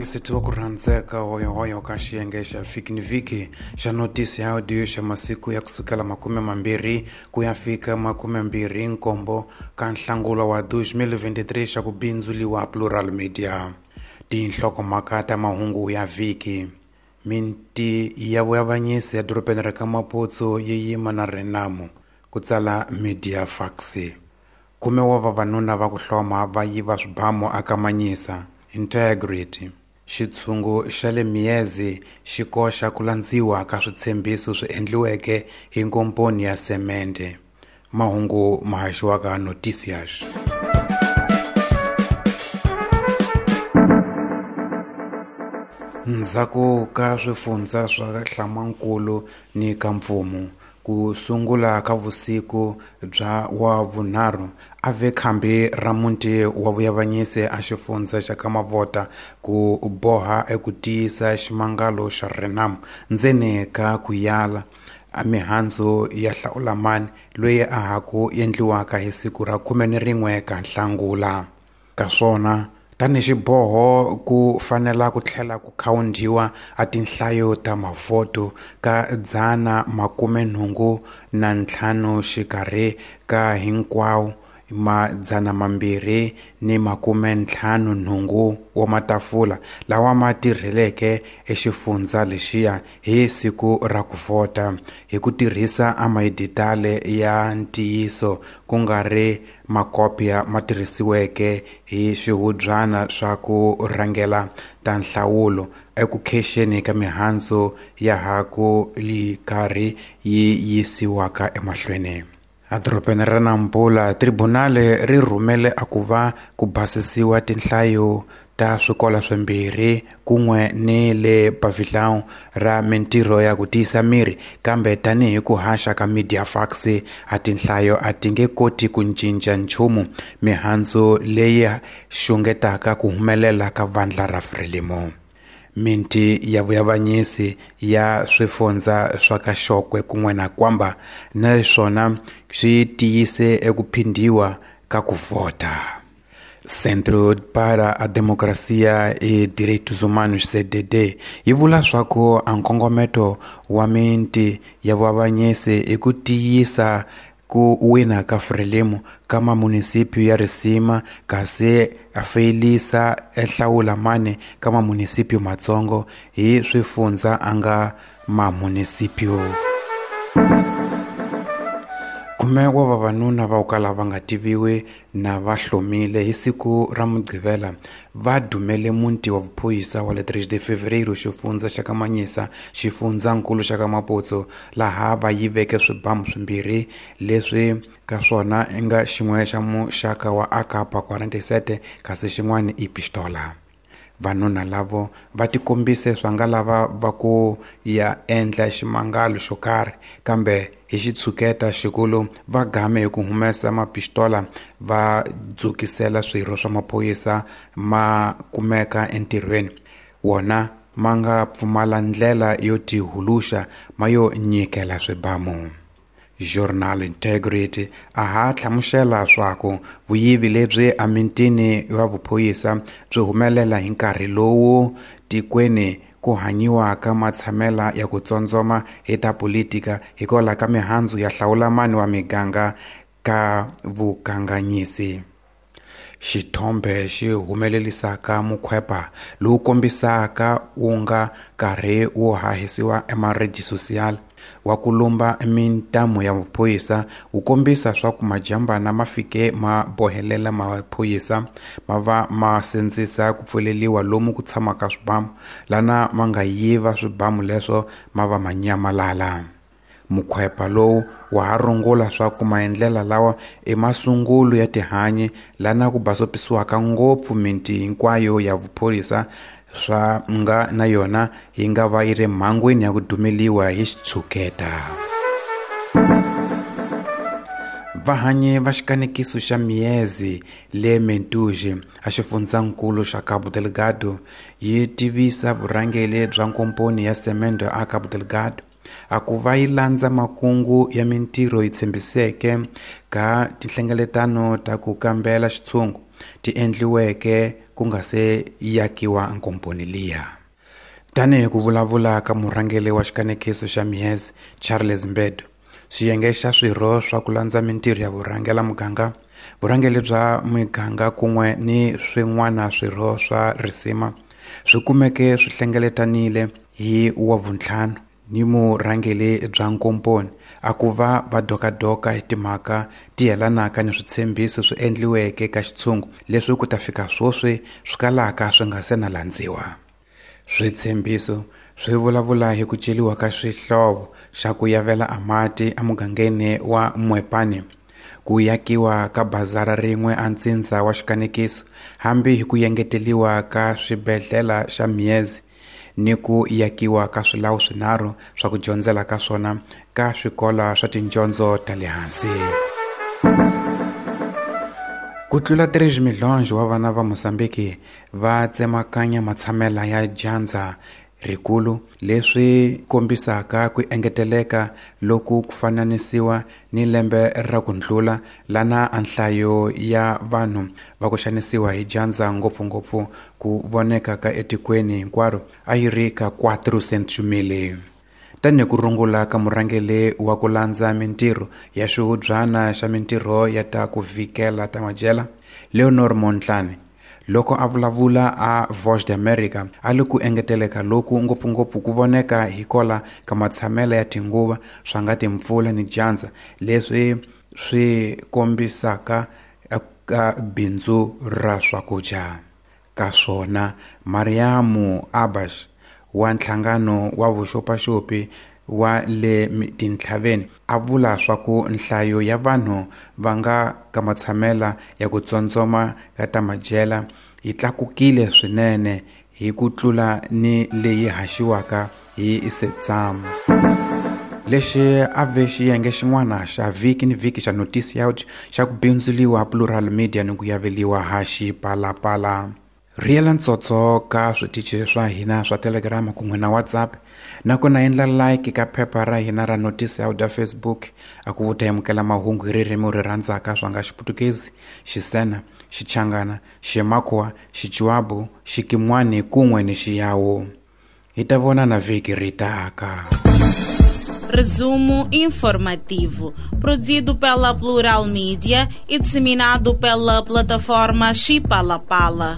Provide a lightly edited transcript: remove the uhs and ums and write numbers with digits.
Vayingiseti va ku rhandzeka hoyohoyo ka xiyenge xa vhiki ni vhiki xa notisi ya audio xa masiku ya kusukela 20 ku ya fika 27 ka Nhlangula wa 2023 xa ku bindzuliwa Plural Media. Tinhlokomhaka ta mahungu ya vhiki. Minti ya vuavanyisi ya dorobeni ra ka Maputo yi yima na Renamo, ku tsala Media Fax. Khume wa vavanuna va ku hloma va yiva swibamu aka Manyisa. Integrity. Xitshungu xa le Miezi xi koxa ku landziwa ka switshembiso swi endliweke hi nkomponi ya semende. Mahungu ma haxiwaka Noticias. Ndzhaku ka swifundza swa Hlamankulu ni ka Mpfumu, ku sungula ka vusiku bya wa vunharhu a ve khambi ra muti wa vuyavanyisi a xifundza xa ka Mavota ku boha eku tiyisa ximangalo xa Renamo ndzeni ka ku yala a mihandzu ya Hlawulamani loyi a ha ku endliwaka hi siku ra 11 ka Nhlangula. Ka swona tanihi xiboho ku fanela ku tlhela ku khawundiwa a tinhlayo ta mavhoto ka 185 xikarhi ka hinkwawo ma 258 wa matafula lawa ma tirheleke exifundza lexiya hi siku ra ku vhota hi ku tirhisa amayiditale ya ntiyiso ku nga ri makopya ma tirhisiweke hi swihubyana swa ku rhangela ta nhlawulo eku khexeni ka mihandzu ya ha ku li karhi yi yisiwaka emahlweni. Edorobeni ra Nampula, tribunale ri rhumele a ku va ku basisiwa tinhlayo ta swikolo swimbirhi kun'we ni le pavilhão ra mintirho ya ku tiyisa miri, kambe tanihi ku haxa ka Media Fax a tinhlayo a ti nge koti ku cinca nchumu mihandzu leyi xungetaka ku humelela ka vandla ra Frelimo. Minti ya vuyavanyisi ya swifundza swa ka Xokwe kun'we na Kwamba naswona swi tiyise eku phindhiwa ka ku vhota. Centro para a Democracia e Direitos Humanos CDD yi vula swa ku a nkongometo wa minti ya vuavanyisi i ku tiyisa ku wina ka Frelimo ka mamunisipyu ya risima kasi a feyilisa ehlawulamani ka mamunisipyu matsongo hi swifundza a nga mamunisipyu. Khume wa vavanuna va ku kala va nga tiviwi na va hlomile hi siku ra Mugqivela va dumele muti wa vuphorisa wa le 3 de Fevereiro xifundza xa ka Manyisa xifundzankulu xa ka Maputo laha va yiveke swibamu swimbirhi leswi ka swona i nga xin'we xa muxaka wa AK-47 kasi xin'wana i pistola. Vanuna lavo va tikombise swa nga lava va ku ya endla ximangalo xo karhi, kambe hi xitshuketa xikulu va game hi ku humesa mapistola va dzukisela swirho swa maphorisa ma kumeka entirhweni. Wona ma nga pfumala ndlela yo tihuluxa ma yo nyikela swibamu. Journal Integrity a ha hlamusela swaku vuyivi lebyi emitini wa vuphorisa byi humelela hi nkarhi lowu tikweni ku hanyiwaka matshamela ya ku tsondzoma hi ta politika hikwalaho ka mihandzu ya hlawulamani wa miganga ka vukanganyisi. Xithombe xi humelelisaka mukhwepa lowu kombisaka wu nga karhi wu hahisiwa emareji social wa ku lumba mintamu ya maphorisa wu kombisa swa ku majambana ma fike ma bohelela maphorisa ma va ma sindzisa ku pfuleliwa lomu ku tshamaka swibamu lana ma nga yiva swibamu leswo ma va ma nyamalala. Mukhwepa lowu wa ha rungula swa ku maendlela lawa i masungulo ya tihanyi lana ku basopisiwaka ngopfu miti hinkwayo ya vuphorisa swa nga na yona yi nga va yi ri mhangwini ya ku dumeliwa hi xitshuketa. Vahanyi va xikanekiso xa Miezi le Mentuji a xifundzankulu xa Cabo Delgado yi tivisa vurhangeri bya nkomponi ya semende a Cabo Delgado. A ku va yi landza makungu ya mintirho yi tshembiseke ka tinhlengeletano ta ku kambela xitshungu ti endliweke ku nga se yakiwa nkomponi liya. Tanihi ku vulavula ka murhangeri wa xikanekiso xa Mihez Charles Mbedo, swiyenge xa swirho swa ku landza mintirho ya vurhangela muganga, vurhangeri bya miganga kun'we ni swin'wana swirho swa risima swi kumeke swi hlengeletanile hi wavuntlhanu ni murhangeri bya nkomponi a ku va va dokadoka hi timhaka ti yelanaka ni switshembiso swi endliweke ka xitshungu leswi ku ta fika swoswi swi kalaka swi nga se na landziwa. Switshembiso swi vulavula hi ku celiwa ka swihlovo xa ku yavela a mati emugangeni wa Mwepane, ku yakiwa ka bazara rin'we a ntsindza wa xikanekiso, hambi hi ku yengeteliwa ka swibedhlele xa Miezi ni ku yakiwa ka swilawu swinharhu swa ku dyondzela ka swona ka swikolo swa tidyondzo ta le hansi. Ku tlula 3 milhonjo wa vana va Mozambiki va tsemakanya matshamela ya dyandza rikulu, leswi kombisaka ku engeteleka loku ku fananisiwa ni lembe ra ku ndlula lana a nhlayo ya vanhu va ku xanisiwa hi dyandza ngopfungopfu ku voneka ka etikweni hinkwaro a yi ri ka 400,000. Tanihi ku rungula ka murhangeri wa ku landza mintirho ya xihubyana xa mintirho ya ta ku vhikela ta majela Leonor Montlane, loko a vulavula a Voz de America a li ku engeteleka loku ngopfungopfu ku voneka hi kola ka matshamela ya tinguva swa nga timpfula ni dyandza leswi swi kombisaka ka bindzu ra swakudya. Ka swona Mariamu Abash wa nhlangano wa vuxopaxopi wa le tintlhaveni a vula swa ku nhlayo ya vanhu va nga ka matshamela ya ku tsondzoma ka ta madyela yi tlakukile swinene hi ku tlula ni leyi haxiwaka hi Setsam. Lexi a ve xiyenge xin'wana xa vhiki ni vhiki xa Noticias xa ku bindzuliwa Plural Media ni ku yaveliwa ha Xipalapala. Rhiyela ntsotso ka switichi swa hina swa Telegram kun'we na WhatsApp, nakona endla like ka phepha ra hina ra Noticias ya Facebook a ku vuta amukela mahungu hi ririmi ri rhandzaka swa nga Xiputukezi, Xisena, Xichangana, Ximakhuwa, Xichiwabu, Xikimwani kun'we ni Xiyawu. Hi ta vonana vhiki ri taka. Resumo informativo, produzido pela Plural Mídia e disseminado pela plataforma Xipalapala.